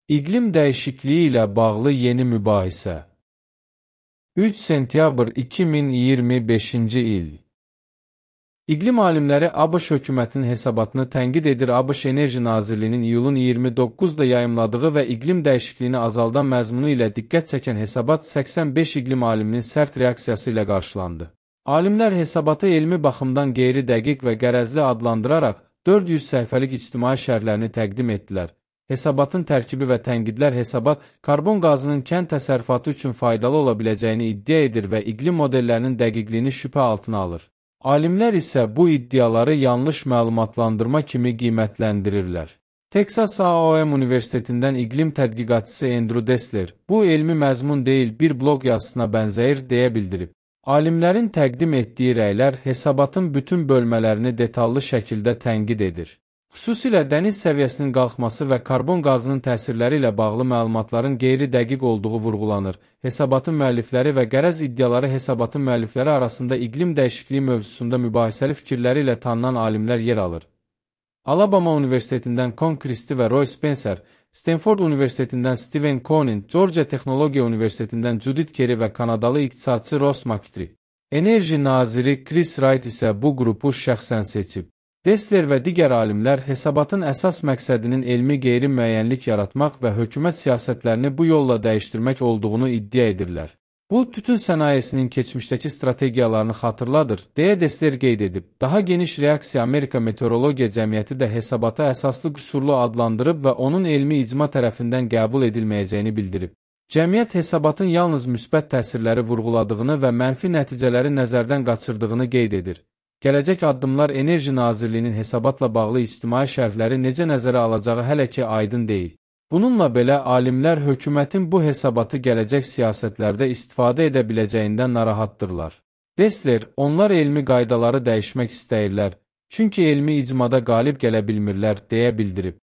İqlim dəyişikliyi ilə bağlı yeni mübahisə. 3 sentyabr 2025-ci il. İqlim alimləri ABŞ hökumətinin hesabatını tənqid edir. ABŞ Enerji Nazirliyinin iyulun 29-da yayımladığı və iqlim dəyişikliyini azaldan məzmunu ilə diqqət çəkən hesabat 85 iqlim aliminin sərt reaksiyası ilə qarşılandı. Alimlər hesabatı elmi baxımdan qeyri-dəqiq və qərəzli adlandıraraq 400 səhifəlik ictimai şərhlərini təqdim etdilər. Hesabatın tərkibi və tənqidlər hesabat karbon qazının kənd təsərrüfatı üçün faydalı ola biləcəyini iddia edir və iqlim modellərinin dəqiqliyini şübhə altına alır. Alimlər isə bu iddiaları yanlış məlumatlandırma kimi qiymətləndirirlər. Texas A&M Universitetindən iqlim tədqiqatçısı Andrew Dessler, bu elmi məzmun deyil, bir bloq yazısına bənzəyir, deyə bildirib. Alimlərin təqdim etdiyi rəylər hesabatın bütün bölmələrini detallı şəkildə tənqid edir. Xüsusilə dəniz səviyyəsinin qalxması və karbon qazının təsirləri ilə bağlı məlumatların qeyri-dəqiq olduğu vurğulanır. Hesabatın müəllifləri və qərəz iddiaları hesabatın müəllifləri arasında iqlim dəyişikliyi mövzusunda mübahisəli fikirləri ilə tanınan alimlər yer alır. Alabama Universitetindən Con Christie və Roy Spencer, Stanford Universitetindən Stephen Cohen, Georgia Texnologiya Universitetindən Judith Kerry və Kanadalı iqtisadçı Ross McTree. Enerji naziri Chris Wright isə bu qrupu şəxsən seçib. Dessler və digər alimlər hesabatın əsas məqsədinin elmi qeyri-müəyyənlik yaratmaq və hökumət siyasətlərini bu yolla dəyişdirmək olduğunu iddia edirlər. Bu, tütün sənayesinin keçmişdəki strategiyalarını xatırladır, deyə Dessler qeyd edib. Daha geniş reaksiya Amerika Meteorologiya Cəmiyyəti də hesabatı əsaslı qüsurlu adlandırıb və onun elmi icma tərəfindən qəbul edilməyəcəyini bildirib. Cəmiyyət hesabatın yalnız müsbət təsirləri vurğuladığını və mənfi nəticələri nəzərdən qaçırdığını qeyd edir. Gələcək addımlar Enerji Nazirliyinin hesabatla bağlı ictimai şərhləri necə nəzərə alacağı hələ ki aydın deyil. Bununla belə, alimlər hökumətin bu hesabatı gələcək siyasətlərdə istifadə edə biləcəyindən narahatdırlar. Dessler, onlar elmi qaydaları dəyişmək istəyirlər, çünki elmi icmada qalib gələ bilmirlər, deyə bildirib.